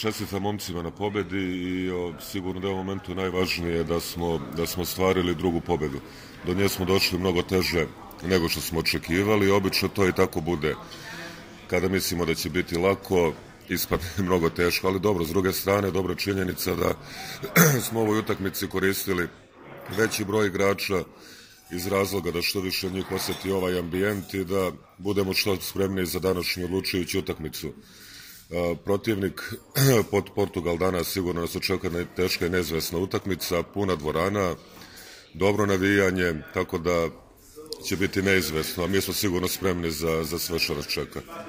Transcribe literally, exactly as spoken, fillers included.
Čestitam momcima na pobedi i o, sigurno da je u momentu najvažnije da smo, da smo stvarili drugu pobedu. Do nje smo došli mnogo teže nego što smo očekivali i obično to i tako bude. Kada mislimo da će biti lako, ispadne mnogo teško, ali dobro, s druge strane, dobra činjenica da smo u ovoj utakmici koristili veći broj igrača iz razloga da što više njih osjeti ovaj ambijent i da budemo što spremniji za današnju odlučujuću utakmicu. Protivnik pod Portugal danas sigurno nas očekuje teška i neizvesna utakmica, puna dvorana, dobro navijanje, tako da će biti neizvesno, a mi smo sigurno spremni za, za sve što nas čeka.